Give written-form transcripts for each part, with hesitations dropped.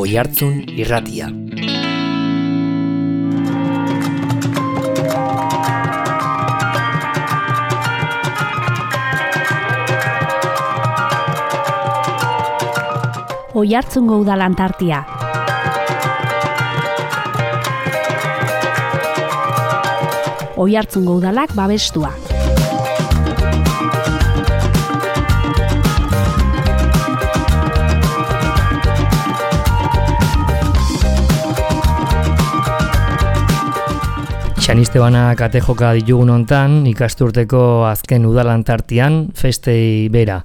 Oihartzun Irratia. Oihartzungo udalan tartia. Oihartzungo udalak babestua. Xanistebana kate joka ditugun hontan, ikasturteko azken udalan tartian, festei bera.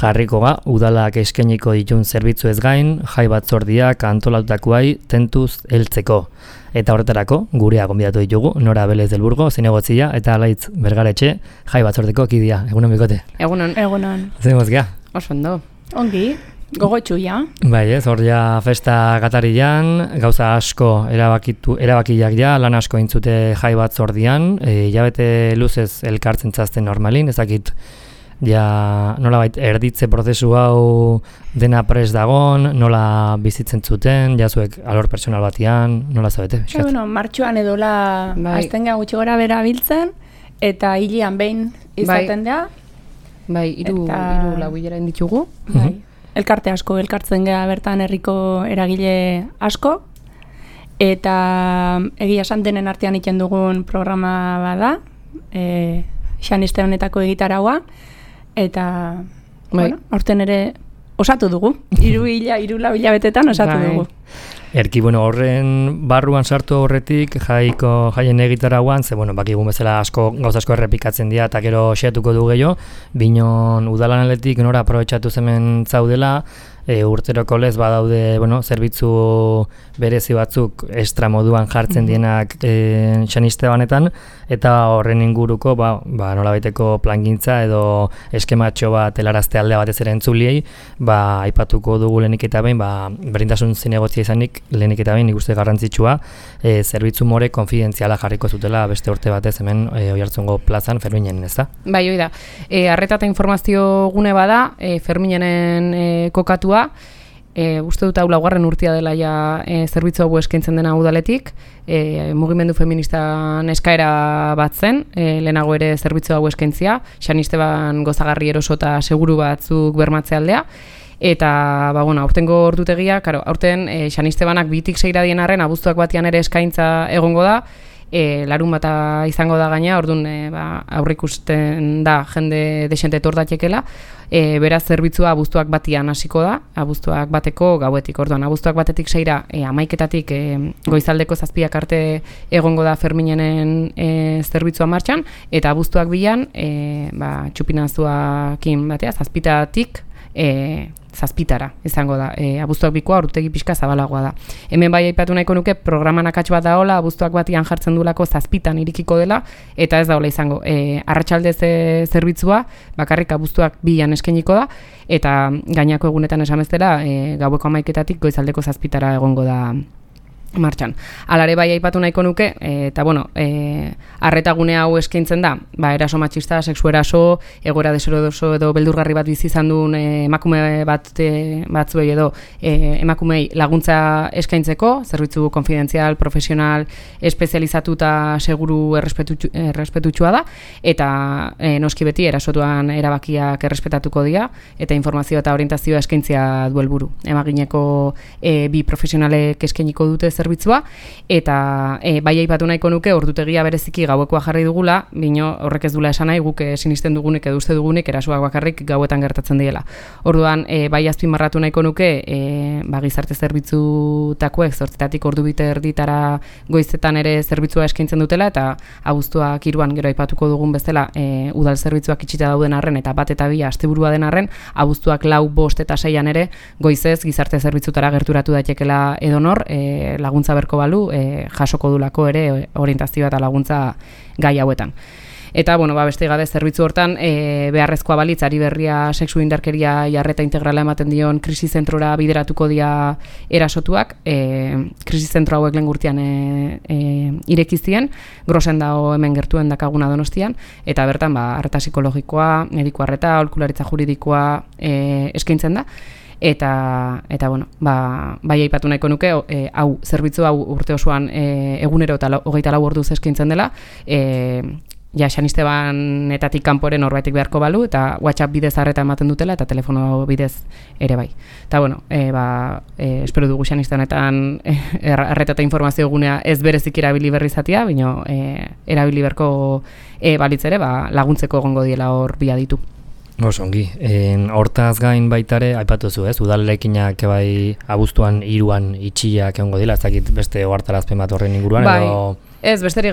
Jarriko ga, udalak eskainiko ditun zerbitzu ez gain, jai batzordiak antolatutakoai tentuz heltzeko. Eta horretarako, gurea gonbidatu ditugu, Nora Belez del Burgo, zinegotzia, eta Alaitz Bergaretxe, jai batzordeko kidia. Egunon bikote? Egunon. Zer mozkia? Oso ondo. Ongi, gogotxu ja. Bai ez, hor ja festa gatarian, gauza asko erabakiak ja, lan asko intzute jai batzordian, hilabete luzez elkartzen zazten normalin, ezakit ja nolabait erditze prozesu hau dena prest dagon, nola bizitzen zuten, jazuek alor personal batian, nola zabete? Martxoan edola aztenga gutxi gora bera biltzen, eta hilian behin izaten da. Bai, hiru lau hilera inditugu. Bai. Elkarte asko, elkartzen gea bertan herriko eragile asko, eta egia esan denen artean iten dugun programa bada, Xaniste honetako egitaraua, eta aurten ere osatu dugu, hiru lau hilabetetan osatu dugu. Erki, horren barruan sartu horretik, jaien egitarauan, ze, bakigun bezala gauza asko errepikatzen dira, eta gero xeatuko du gehiago, binon udalan aletik nora aprobetxatu zemen zaudela, urteroko lez badaude, zerbitzu berezi batzuk extra moduan jartzen dienak Xanistebanetan, eta horren inguruko, nolabaiteko plangintza edo eskematxo bat helarazte aldea batez ere entzuliei, aipatuko dugu lehenik eta behin, berdintasun zinegotzia izanik, lehenik eta behin ikuste garrantzitsua, zerbitzu more konfidentziala jarriko zutela beste urte batez hemen Oihartzungo plazan Ferminen, ez da? Bai, hoi da. Arreta eta informazio gune bada, Ferminenen kokatua, uste dut hau laugarren urtea dela ja zerbitzu hau eskaintzen dena udaletik, mugimendu feministan eskaera bat zen, lehenago ere zerbitzu hau eskaintzia, Xanisteban gozagarri eroso eta seguru batzuk bermatze aldea, eta, aurtengo ordutegia, aurten Xanistebanak 2-6 dien arren, abuztuak batian ere eskaintza egongo da, larun bata izango da gaina, orduan aurrikusten da jende desente etordatekela, beraz zerbitzua abuztuak batian hasiko da, abuztuak bateko gauetik, orduan abuztuak batetik 6ra 11-etatik goizaldeko 7 arte egongo da Ferminenen zerbitzua martxan, eta abuztuak 2an txupinazuakin batea, 7-etatik 7 izango da. Abuztuak 2koa ordutegi pixka zabalagoa da. Hemen bai aipatu nahiko nuke programan akats bat daola, abuztuak batian jartzen duelako 7 irikiko dela, eta ez daola izango. Arratsaldez zerbitzua bakarrik abuztuak 2an eskainiko da, eta gainako egunetan esameztela gaueko 11-etatik goizaldeko 7 egongo da martxan. Alare bai aipatu nahiko nuke, eta arretagune hau eskaintzen da, eraso matxista, sexu eraso, egoera deseroso edo beldurgarri bat bizi izan duen emakume batzuei edo emakumei laguntza eskaintzeko, zerbitzu konfidentzial, profesional, espezializatu eta seguru errespetutxua da, eta noski beti erasotuan erabakiak errespetatuko dira, eta informazioa eta orientazioa eskaintzia du helburu. Emagineko bi profesionalek eskainiko dute zerbitzua, eta bai aipatu nahiko nuke ordutegia bereziki gauekoa jarri dugula, bino horrek ez dula esan nahi guk sinisten dugunik edo uste dugunik erasoak bakarrik gauetan gertatzen diela. Orduan bai azpimarratu nahiko nuke gizarte zerbitzutakoek 8-etatik ordu bite erditara goizetan ere zerbitzua eskaintzen dutela, eta abuztuak 3an gero aipatuko dugun bezala udal zerbitzuak itxita dauden arren eta 1 eta 2 asteburua den arren, abuztuak 4, 5 eta 6an ere goizez gizarte zerbitzutara gerturatu daitekela edonor, laguntza berko balu, jasoko dulako ere orientazioa eta laguntza gai hauetan. Eta, beste gabe zerbitzu hortan, beharrezkoa balitz, ari berria sexu indarkeria jarreta integrala ematen dion krisi zentrora bideratuko dira erasotuak, krisi zentro hauek lehen gurtian irekizien, grosen dago hemen gertuen dakaguna Donostian, eta bertan, arreta psikologikoa, mediko arreta, aholkularitza juridikoa eskaintzen da. eta bueno, bai aipatu nahiko nuke, hau zerbitzu hau urte osoan egunero eta 24 orduz eskaintzen dela, San Estebanetatik kanporen norbaitek beharko balu, eta WhatsApp bidez arreta ematen dutela, eta telefono bidez ere bai. Eta bueno, espero dugu San Estebanetan arreta eta informazio gunea ez berezik erabili berri izatea, baina erabili beharko balitz ere, laguntzeko egongo diela hor bi aditu. Osongi, hortaz gain baitare, aipatu zu, ez? Udalekinak bai abuztuan 3an itxiak egongo dira, ez dakit beste ohartarazpen bat horren inguruan, bai. edo... Ez, besterik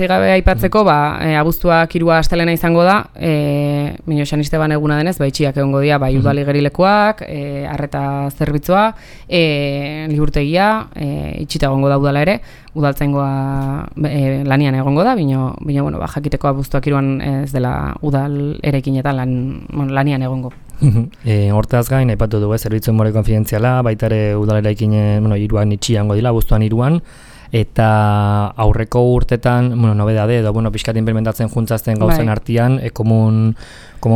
gabe aipatzeko, abuztuak 3 astelena izango da, Mino San Esteban eguna denez, itxiak egongo dira, bai udal igerilekuak, arreta zerbitzua, liburtegia, itxita egongo da udala ere, udaltzaingoa lanian egongo da, bino bueno, jakiteko abuztuak 3an ez dela udal erekinetan lanian egongo. Hortaz gain, aipatu dugu, zerbitzu more konfidentziala, baitare udal erekinen 3an itxiango dira, abuztuan 3an, eta aurreko urtetan, nobedade edo, pixkat implementatzen juntzazten gauzen artean, komun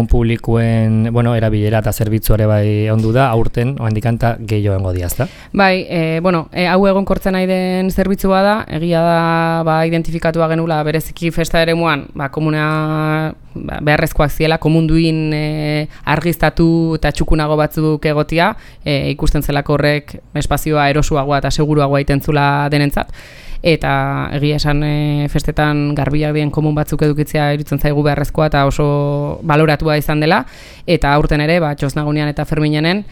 publikoen, erabilera eta zerbitzuare bai ondu da, aurten, oandikanta gehiago engo diazta. Bai, hau egonkortzen nahi den zerbitzua da, egia da, identifikatua genula bereziki festa eremuan, komuna beharrezkoak ziela, komunduin argiztatu eta txukunago batzuk egotia, ikusten zelako horrek espazioa erosuagoa eta seguruagoa itentzula denentzat. Eta egia esan festetan garbiak dien komun batzuk edukitzea iruditzen zaigu beharrezkoa eta oso baloratua izan dela, eta aurten ere, Txosnagunean eta Ferminenen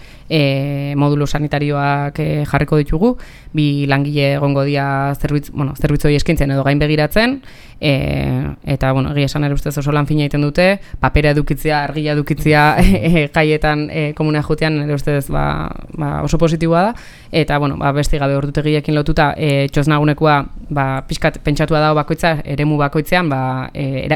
modulo sanitarioak jarriko ditugu, 2 langile egongo dira zerbitzu hori eskaintzen edo gain begiratzen, eta egia esan ere ustez oso lan fina egiten dute, papera edukitzea, argia edukitzea jaietan komuna jotean ere ustez oso positiboa da, eta beste gabe ordutegiekin lotuta Txosnagunekoa pixkat pentsatua dago bakoitza, eremu bakoitzean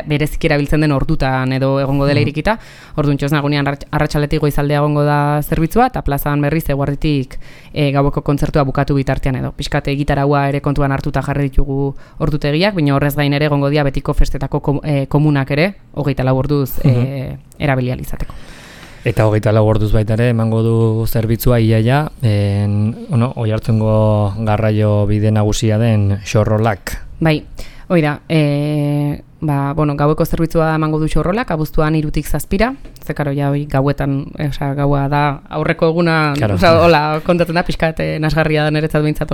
berezik erabiltzen den ordutan edo egongo dela irikita, orduan Txosnagunean arratsaletik goizaldea egongo da zerbitzua, eta plazan berriz eguerditik gaueko kontzertua bukatu bitartean edo. Pixkat gitaragua ere kontuan hartuta jarri ditugu ordutegiak, baina horrez gain ere egongo dira betiko festetako komunak ere, 24 orduz erabili ahal izateko. Eta 24 orduz baita ere emango du zerbitzua iaia, Oiartzungo garraio bide nagusia den Xorrolak. Bai, oida, gaueko zerbitzua emango du Xorrolak, abuztuan 3tik 7ra, zekaro ja gauetan, gaua da aurreko eguna, hola kontatzen da, pixkat nasgarria da niretzat behintzat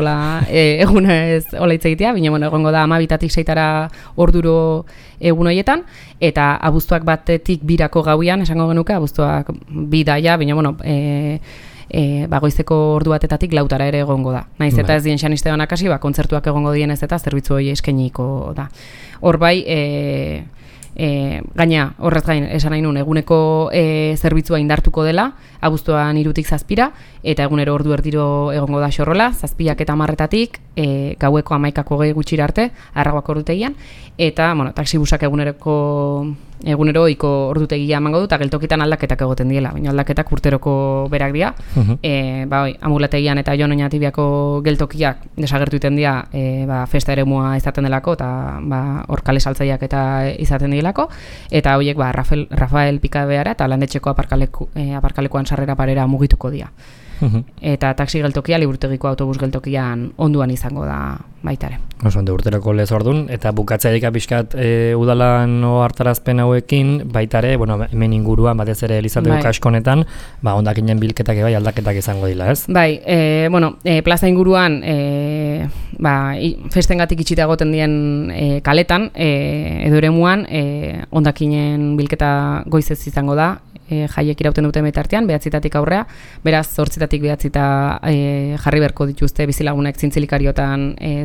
eguna ez hola hitz egitea, baina egongo da 12tik 6tara orduro egun horietan, eta abuztuak 1tik 2rako gauian, esango genuke, abuztuak 2 daia, baina goizeko ordu batetatik 4tara ere egongo da. Naiz eta ez dien San Estebanak hasi, kontzertuak egongo dienez eta zerbitzu hori eskainiko da. Hor bai, gaina horrez gain esan nahi nun eguneko zerbitzua indartuko dela, abuztuan 3tik 7ra, eta egunero ordu erdiro egongo da Xorrola, 7ak eta 10etatik, gaueko 11ak 20 gutxira arte, Arragoak ordutegian, eta taxibusak egunero ohiko ordutegia emango du, eta geltokitan aldaketak egoten diela, baina aldaketak urteroko berak dira, Amulategian eta Jon Oñatibiako geltokiak desagertu iten dira festa eremua izaten delako, eta hor kale saltzaileak eta izaten dilako, eta horiek Rafael Pikabeara eta Landetxeko aparkalekuan sarrera parera mugituko dira. Eta taxi geltokia, liburtegiko autobus geltokian onduan izango da baitare. Oso, urteroko lez ordun, eta bukatzaik pixkat udalan hartarazpen hauekin, baitare, hemen inguruan, batez ere Elizaldeko kaskonetan, ondakinen bilketak bai aldaketak izango dila, ez? Bai, plaza inguruan, festengatik itxita egoten dien kaletan, edo eremuan, ondakinen bilketa goizez izango da, jaiek irauten dute metartean, 9etatik aurrea, beraz 8etatik 9eta jarri beharko dituzte bizilagunek zintzilikariota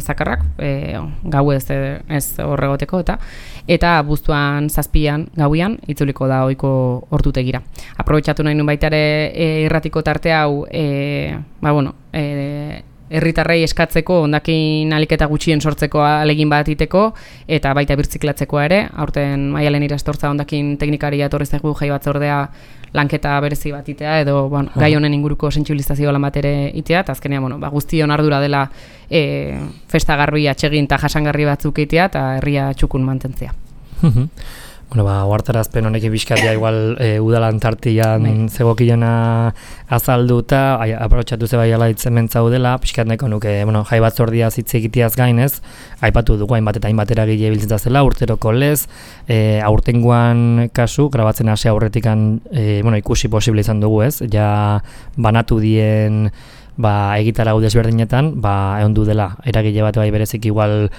zakarrak, gau ez horregoteko, eta abuztuan 7an gauian itzuliko da ohiko ordutegira. Aprobetxatu nahi nun baita ere irratiko tarte hau, herritarrei eskatzeko, ondakin aliketa gutxien sortzeko alegin bat iteko, eta baita birtziklatzeko ere, aurten Maialen Irastortza ondakin teknikaria etorri zaigu jai batzordea lanketa berezi bat itea, edo gai honen inguruko sentsibilizazio lan bat ere itea, eta azkenean guztion ardura dela festa garbi atsegin eta jasangarri batzuk itea, eta herria txukun mantentzea. Bueno, ohartarazpen honekin bizkatia igual udalan tartian zegokiona azalduta, aprobetxatu ze bai ala hitzemen zaudela, pixkat nahiko nuke, jai batzordia hitz egiteaz gainez, aipatu dugu hainbat eta hainbat eragile biltzen zela, urteroko lez, aurtengoan kasu, grabatzen hasi aurretikan, ikusi posible izan dugu ez, ja banatu dien egitarau desberdinetan, egon du dela, eragile bat bai berezik igual,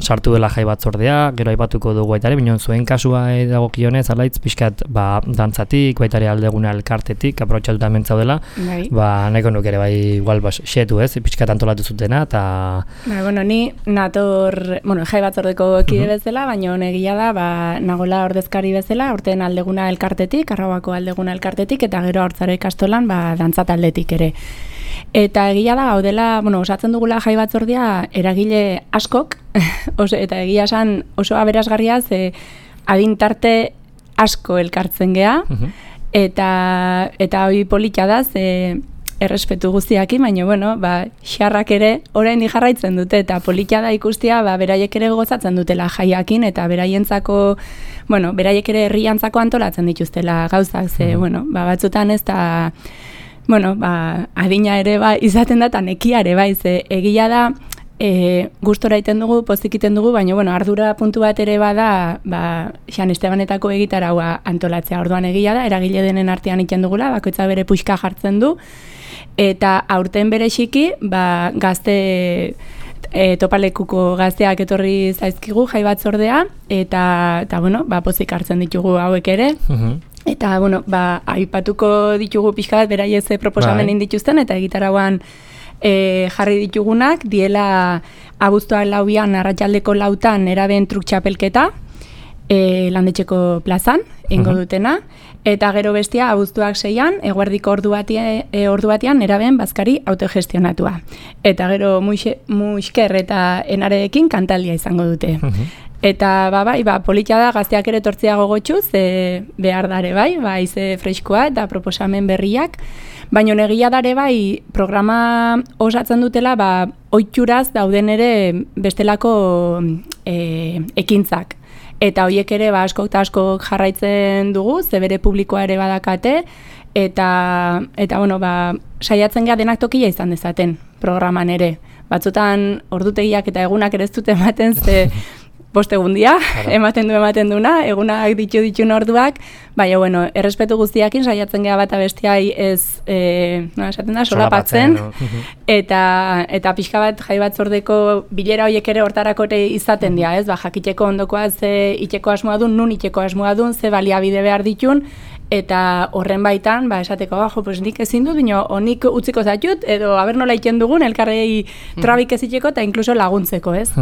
sartu dela jai batzordea, gero aipatuko dugu baita ere, binon zuen kasua dagokionez, alaitz pixkat dantzatik, baita ere aldeguna elkartetik, aprobetxatuta mentzaudela, nahiko nuke ere bai igual xetu ez, pixkat antolatu zutena, eta... Ni nator, jai batzordeko kide bezala, baina egia da, nagola ordezkari bezala, aurten aldeguna elkartetik, Arrauako aldeguna elkartetik, eta gero Haurtzaro ikastolan dantza taldetik ere. Eta egia da, gaudela, osatzen dugula jai batzordia eragile askok, eta egia esan oso aberasgarria ze adintarte asko elkartzen gea, eta hori polita da, ze errespetu guztiakin, baina, xarrak ere orain jarraitzen dute, eta polita da ikustia, beraiek ere gozatzen dutela jaiakin, eta beraientzako, beraiek ere herriantzako antolatzen dituztela gauzak, ze, batzutan ez da... adina ere izaten da, eta nekia ere ze egia da, gustora iten dugu, pozik iten dugu, baina ardura puntu bat ere bada, San Estebanetako egitaraua antolatzea. Orduan egia da, eragile denen artean iten dugula, bakoitza bere puxka jartzen du, eta aurten bere xiki, gazte topalekuko gazteak etorri zaizkigu jai batzordea, eta pozik hartzen ditugu hauek ere, eta, aipatuko ditugu pixka bat, beraiez proposamen indituzten, eta egitarauan jarri ditugunak, diela abuztuak 4an, arratsaldeko 4an, eraben truk txapelketa, landetxeko plazan, ingo dutena, eta gero bestia abuztuak 6an, eguerdiko ordu batean, eraben bazkari autogestionatua. Eta gero muixker eta enarekin kantaldia izango dute. Eta politia da gazteak ere tortzea gogotxuz, behar dare ize freskoa eta proposamen berriak, baina egia dare programa osatzen dutela ohituraz dauden ere bestelako ekintzak. Eta horiek ere askok eta askok jarraitzen dugu, ze bere publikoa ere badakate, eta saiatzen gara denak tokia izan dezaten programan ere. Batzutan ordutegiak eta egunak ere ez dute ematen, ze postegundia, ematen duena, egunak ditun orduak, baina, errespetu guztiakin saiatzen gara bat abestiai ez, esaten da, solapatzen, eta pixka bat jai batzordeko bilera horiek ere hortarako ere izaten dira, ez, jakiteko ondokoa ze iteko asmoa dun, nun iteko asmoa dun, ze baliabide behar ditun, eta horren baitan, esateko, nik ezin dut, bino, honik utziko zaitut, edo haber nola iten dugun, elkarrei trabik ez iteko, eta inkluso laguntzeko, ez?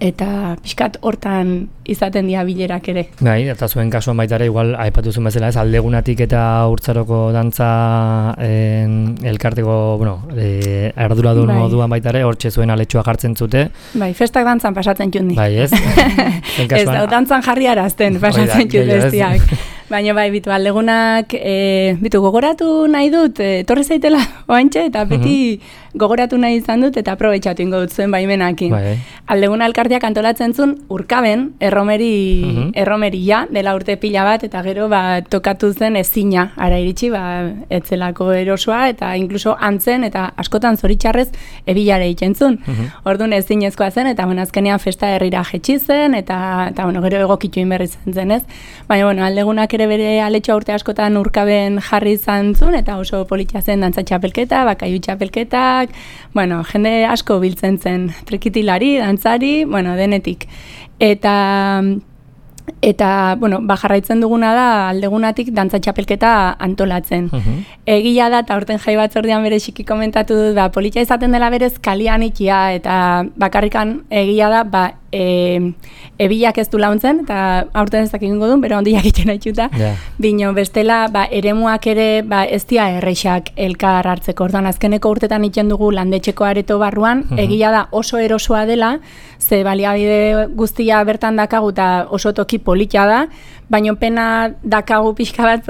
Eta pixkat hortan izaten dira bilerak ere. Eta zuen kasuan baita ere, igual, aipatu zuen bezala ez, aldegunatik eta Haurtzaroko dantza elkarteko, arduradun moduan baita ere, hortxe zuen aletxoa jartzen zute. Festak dantzan pasatzen txundi. Ez? Ez da, dantzan jarri arazten pasatzen txundi bestiak. Baina bitu, aldegunak, gogoratu nahi dut, torri zaitela oantxe, eta beti gogoratu nahi izan dut, eta aprobetxatu ingo dut zuen baimenakin. Aldeguna elkarteak antolatzen zuen urkaben, erromeria dela urte pila bat, eta gero tokatu zen ezina, ara iritsi, etzelako erosoa, eta inkluso antzen, eta askotan zoritxarrez ebilare ikentzun. Orduan ezinezkoa zen, eta azkenean festa herrira jetxi zen, eta gero egokitu inberri zen ez. Baina, aldegunak ere bere aletxoa urte askotan urkaben jarri izan zuen, eta oso politia zen dantza txapelketa, bakaiu txapelketak, jende asko biltzen zen, trikitilari, dantzari, denetik. Eta jarraitzen duguna da aldegunatik dantza txapelketa antolatzen. Egia da, eta aurten jai batzordean bere xiki komentatu du da, politia izaten dela berez kalian ikia, eta bakarrikan egia da, ebilak ez du launtzen, eta aurten ez dakingo duen, bero ondiak itxen haitxuta. Bino, bestela, eremuak ere ez dia erreixak elkar hartzeko. Orduan, azkeneko urtetan itxen dugu landetxeko areto barruan, egia da oso erosoa dela, ze baliabide guztia bertan dakagu eta oso toki politia da, baina pena dakagu pixka bat,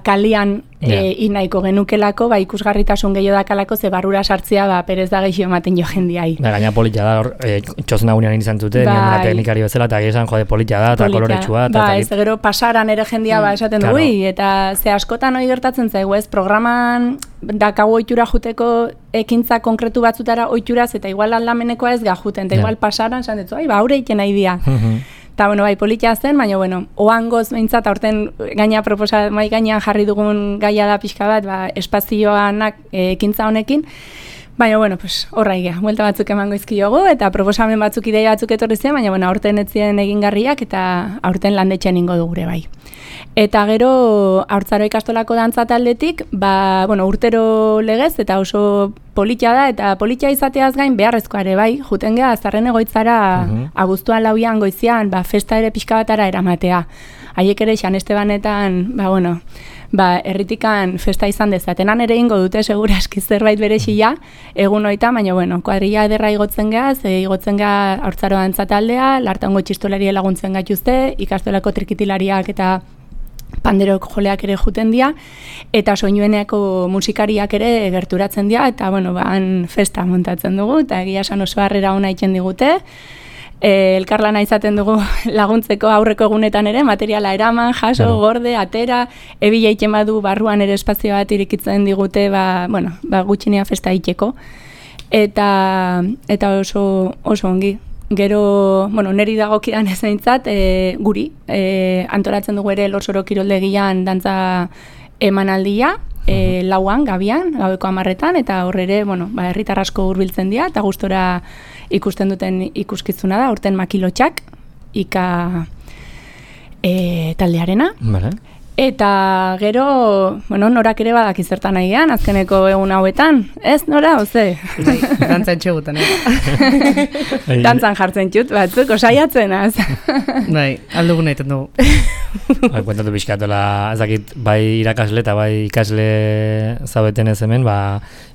kalian nahiko genukelako, ikusgarritasun gehiago dakalako, ze barrura sartzea, perez da gehiago ematen jo jendiai. Gaina polita da, txosna gunean izan zuten, teknikari bezala, eta gizan, polita da, eta koloretsua. Ez gero pasaran ere jendia esaten du, eta ze askotan hori gertatzen zaigu, ez, programan dakago ohitura juteko ekintza konkretu batzutara ohituraz, eta igual aldamenekoa ez gajuten, eta igual pasaran, esan dut, aurre egiten nahi dia. Eta, politia zen, baina, oangoz behintzat, aurten mai gainean jarri dugun gaia da pixka bat, espazioanak ekintza honekin, baina, horra egia, buelta batzuk emango izkiogu, eta proposamen batzuk, ideia batzuk etorri ziren, baina, aurten etzien egingarriak, eta aurten landetxean ingo dugure bai. Eta gero, Haurtzaro ikastolako dantza taldetik, urtero legez, eta oso politia da, eta politia izateaz gain beharrezkoa ere bai, juten geha, Zarren Egoitzara, abuztuan 4 goizian, festa ere pixka batara eramatea. Haiek ere, San Estebanetan, herritikan festa izan dezatenan ere ingo dute, seguraski zerbait berexia, egun hoita, baina, kuadrilla ederra igotzen geha, igotzen geha Haurtzaro dantza taldea, lartango txistolari laguntzen gaituzte, ikastolako trikitilariak eta panderok joleak ere juten dira, eta soinueneako musikariak ere gerturatzen dira, eta, han festa montatzen dugu, eta egia esan oso harrera ona egiten digute. Elkarlana izaten dugu laguntzeko aurreko egunetan ere, materiala eraman, jaso, gorde, atera, ebila egiten badu barruan ere espazio bat irikitzen digute, gutxinea festa egiteko. Eta oso ongi. Gero, neri dagokidan ez behintzat, guri, antolatzen dugu ere Lorsoro kiroldegian dantza emanaldia, lauan, gabian, gaueko 10etan, eta horre ere, herritar asko hurbiltzen dira, eta gustora ikusten duten ikuskizuna da, urten Makilotxak, ika taldearena. Eta gero, norak ere badaki zertan nahi gehan, azkeneko egun hauetan, ez nora, oze? Dantzan txegutan, Dantzan jartzen txut, batzuk, osaiatzen, az? Aldugun nahi dugu. Kuentatu pixkatola, ezakit, bai irakasle eta bai ikasle zaudeten ez hemen,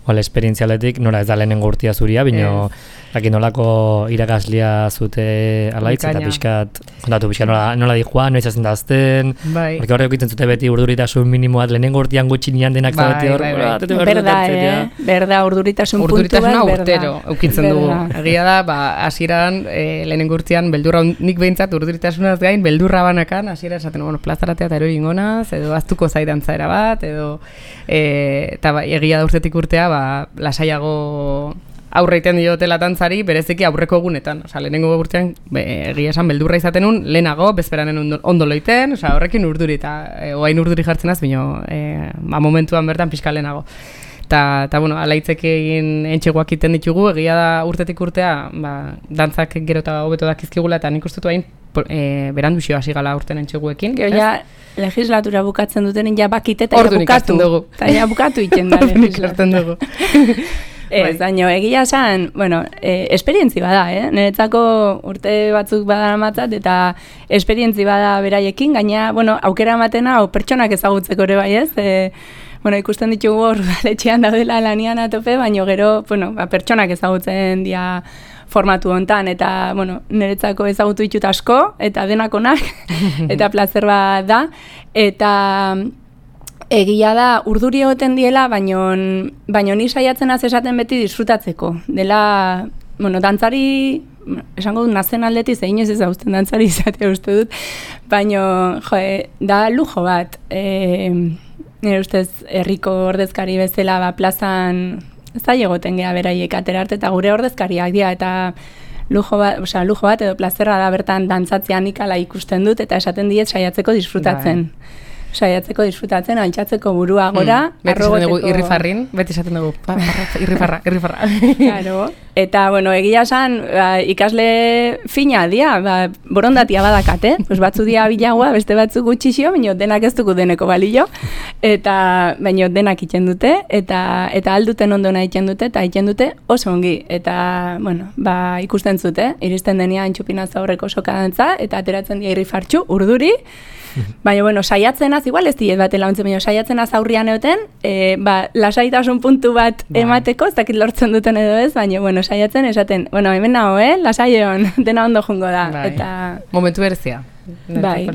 esperientzialetik, nora ez da lehenengo urtia zuria, bino, nolako irakaslia zute alaitz, eta pixkat, kontatu pixkat nola di joan, noiz hazen dazten, porque horrek egiten zute beti urduritasun minimoat, lehenengo urtian gutxinian denak zaudete hor, berda, urduritasun puntu bat, urduritasuna urtero, eukitzen dugu. Egia da, hasieran lehenengo urtian, beldurra, nik behintzat urduritasunaz gain, beldurra banakan, hasieran esaten, plazaratea eta erori ingonaz, edo aztuko zaidantzaera bat, edo, eta egia da urtetik urtea, lasaiago aurreiten diotela dantzari, bereziki aurreko egunetan. Lehenengo urtean, egia esan, beldurra izaten un, lehenago, bezperanen ondo loiten, horrekin urduri, eta oain urduri jartzen az, bino, momentuan bertan pixka lehenago. Eta, alaitzek egin entxegoak iten ditugu, egia da urtetik urtea, dantzak gero eta hobeto dakizkigula, eta nik ustetu hain berandu xio hasi gala urten entxeguekin. Gero ja, legislatura bukatzen duten, ja bakite eta bukatu. Eta ja bukatu iten da legislatura. Ez, baina egia esan, esperientzi bada, niretzako urte batzuk badara matzat, eta esperientzi bada beraiekin, gaina, aukera ematena, pertsonak ezagutzeko ere bai ez, ikusten ditugu hor letxean daudela lanian atope, baina gero, pertsonak ezagutzen dira formatu hontan, eta, niretzako ezagutu ditut asko, eta denakonak, eta plazer bat da, eta egia da, urduri egoten diela, baino ni saiatzen az esaten beti disfrutatzeko. Dela, dantzari, esango dut nazen aldeti, zein ez ezausten dantzari izatea uste dut, baino, da lujo bat. Nire ustez, herriko ordezkari bezala, plazan, ez da egoten geha beraiek aterarte, eta gure ordezkariak dira, eta lujo bat edo plazerra da bertan dantzatzean ikala ikusten dut, eta esaten diet saiatzeko disfrutatzen. Disfrutatzen, altxatzeko burua gora. Beti esaten dugu irrifarrin, beti esaten dugu irrifarra. Claro. Eta, egia esan, ikasle fina dia, borondatia badakate, batzu dia bilagoa, beste batzu gutxixio, baina denak ez dugu deneko balio, eta baina denak iten dute, eta alduten ondona iten dute, eta iten dute oso ongi. Eta, ikusten zute, iristen denia entxupinaz aurreko sokadantza, eta ateratzen dia irrifartxu, urduri, baina, saiatzenaz, igual ez diet bat elauntzen, baina saiatzenaz aurrian egoten, lasaitasun puntu bat emateko, ez dakit lortzen duten edo ez, baina, saiatzen, esaten, bueno, hemen nago, lasaion, dena ondo jungo da. Bai. Eta momentu berezia. bai,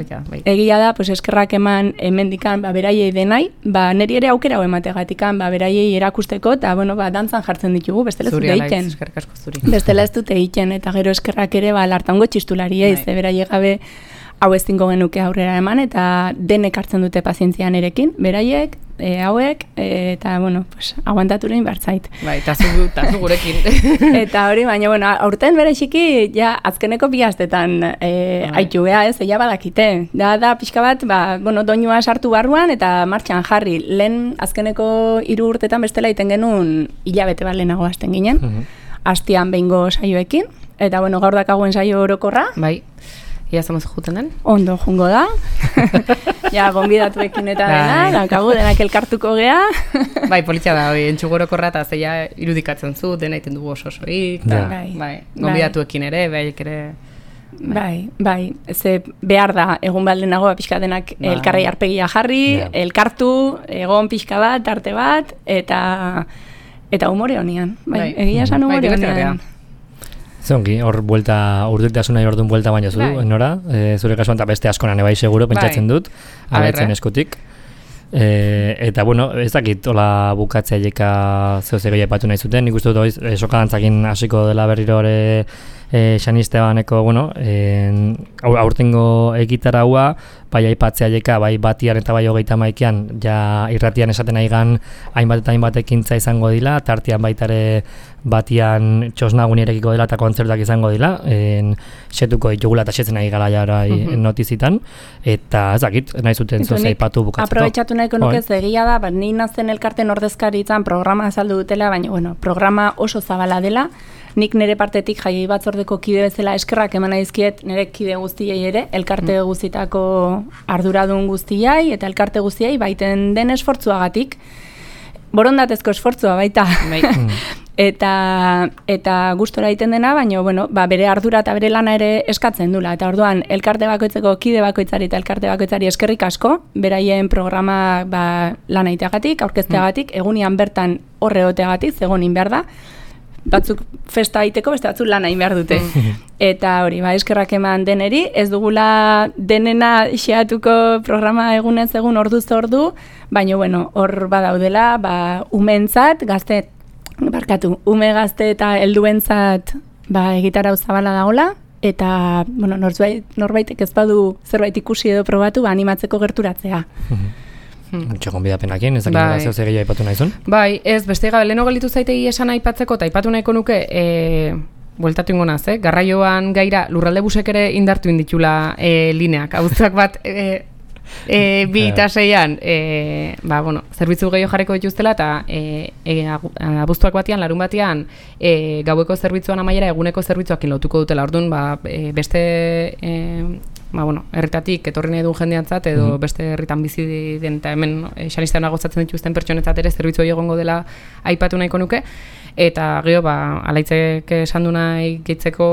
egia da, pues eskerrak eman hemendikan beraiei denai, neri ere aukera hau emategatikan, beraiei erakusteko, eta, bueno, dantzan jartzen ditugu, bestela ez dute egiten. Eskerrik asko zuri. Bestela ez dute egiten, eta gero eskerrak ere, lartango txistulariei, ze beraiei gabe hau ez dingo genuke aurrera eman, eta denek hartzen dute pazientzian erekin, beraiek, hauek, eta, bueno, pues, aguantaturein bartzait. Bai, eta zu gurekin. Eta hori, baina, bueno, aurten bereziki, ja, azkeneko bi astetan haitu beha, ez, eia badakite. Da pixka bat, bueno, doinua sartu barruan, eta martxan jarri. Lehen azkeneko 3 urtetan bestela iten genuen hilabete bat lehenago hasten ginen, hastian behingo saioekin, eta, bueno, gaur dakagoen saio orokorra. Bai. Ia zamaz juten den? Ondo jungo da. Ja, gonbidatuekin eta dena, daukagu denak elkartuko gea. Bai, politia da, entxugorokorra eta zeia irudikatzen zu, dena iten dugu ososoik, gonbidatuekin ere, behaiek ere... Bai, ze behar da, egun baldenago pixka denak elkarrei arpegia jarri, elkartu, egon pixka bat, arte bat, eta humore honian. Bai, egia esan humore honian. Zongi, hor urdurtasuna orduan buelta baina zu, nora? Zure kasuan eta beste askonan ebai seguro, pentsatzen dut, abertzen eskutik. Eta, bueno, ez dakit, hola bukatzea jeka zehoz egoia epatu nahi zuten, nik uste dut sokadantzakin hasiko dela berriro ere Xanistebaneko, bueno, aurtengo egitaraua, bai aipatzea jeka, bai batian eta bai 31an, ja irratian esaten aigan hainbat eta hainbat ekintza izango dila, tartean baitare batian txosnagun irekiko dela eta kontzertuak izango dila, setuko ditugula eta setzen nahi gara jara notizitan, eta ez dakit, nahi zuten zoz aipatu bukatzeko. Aprobetxatu nahiko nuke egia da, ni nazen elkarten ordezkari izan programa azaldu dutela, baina, bueno, programa oso zabala dela, nik nire partetik jaiei batzordeko kide bezala eskerrak eman aizkiet nire kide guztiei ere, elkarte guztitako arduradun guztiai eta elkarte guztiai baiten den esfortzuagatik, borondatezko esfortzua baita. Eta gustora egiten dena, baina bueno, bere ardura eta bere lana ere eskatzen dula. Eta orduan, elkarte bakoitzeko kide bakoitzari eta elkarte bakoitzari eskerrik asko, beraien programa lana iteagatik, aurkezteagatik, egunian bertan horre oteagatik, zegonin behar da, batzuk festa aiteko, beste batzuk lan hain behar dute. Eta hori, eskerrak eman deneri, ez dugula denena xeatuko programa egunez egun orduz ordu, baina bueno, hor badaudela, umentzat, ume gazte eta helduentzat egitarau zabala dagola, eta bueno, norbaitek ez badu zerbait ikusi edo probatu, animatzeko gerturatzea. Txokon bidapenakin, ez dakit zehoz egia aipatu nahizun? Bai, ez, beste gabe, leheno galitu zaitegi esan aipatzeko, eta aipatu nahiko nuke, bueltatu ingo naz, garraioan gaira lurralde busek ere indartu inditula lineak, abuztuak bat, 2 eta 6an, bueno, zerbitzu gehiago jarriko dituztela, eta abuztuak batian, larun batian, gaueko zerbitzuan amaiera eguneko zerbitzuak lotuko dutela, orduan, beste... bueno, herritatik etorri nahi duen jendeantzat edo beste herritan bizi den eta hemen Xanistean gozatzen dituzten pertsonetzat ere zerbitzu egongo dela aipatu nahiko nuke, eta gero alaitzek esan du nahi gehitzeko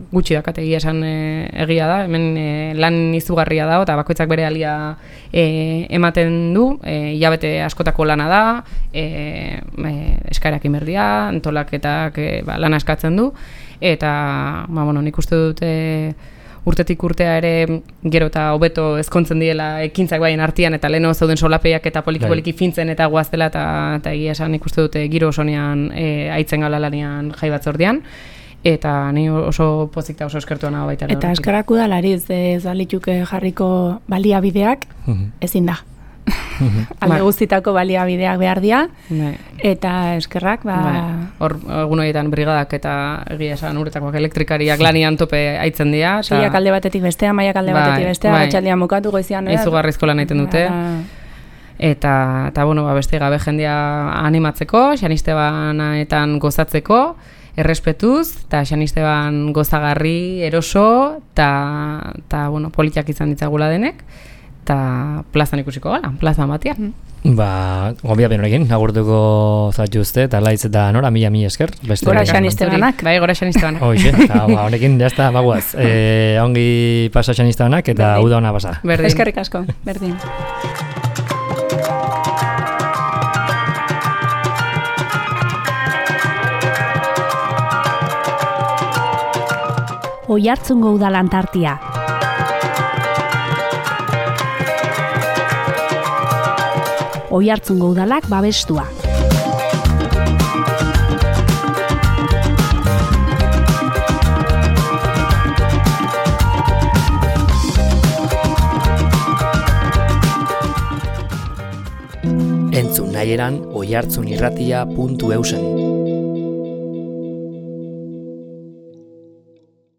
gutxi dakategia esan egia da, hemen lan izugarria da, eta bakoitzak bere alia ematen du, hilabete askotako lana da, eskaerak inberdia, antolaketak lana eskatzen du, eta nik uste dute urtetik urtea ere gero eta hobeto ezkontzen diela ekintzak baien artean eta leheno zeuden solapeiak eta poliki fintzen eta guaztela eta egia esan ikuste dute giro osonean aitzen gala lanean jai batzordean eta ni oso pozik eta oso eskertua nago baita. Eta eskerrak udalariz ez balituke jarriko baliabideak ezin da. Alde guztitako baliabideak behar dira, eta eskerrak, hor egun horietan brigadak eta egia esan uretakoak elektrikariak lanian tope aitzen dira. Seiak alde batetik bestea, maiak alde batetik bestea, batxaldian bukatu goizian. Izugarrizko lan egiten dute. Eta beste gabe jendea animatzeko, Xanistebanetan gozatzeko, errespetuz, eta Xanisteban gozagarri, eroso, eta politiak izan ditzagula denek. Eta plazan ikusiko gara, plazan batian. Gonbia benorekin, agurtuko zatu uste, eta laitz eta nora, mila esker. Gora Xanistebanak. Bai, gora Xanistebanak. Hoxe, eta honekin, jazta, baguaz. Ongi pasa Xanistebanak, eta uda hona pasa. Eskerrik asko, berdin. Oiartzungo udalan tartia. Oiartzungo udalak babestua. Entzun nahieran oiartzunirratia.eusen.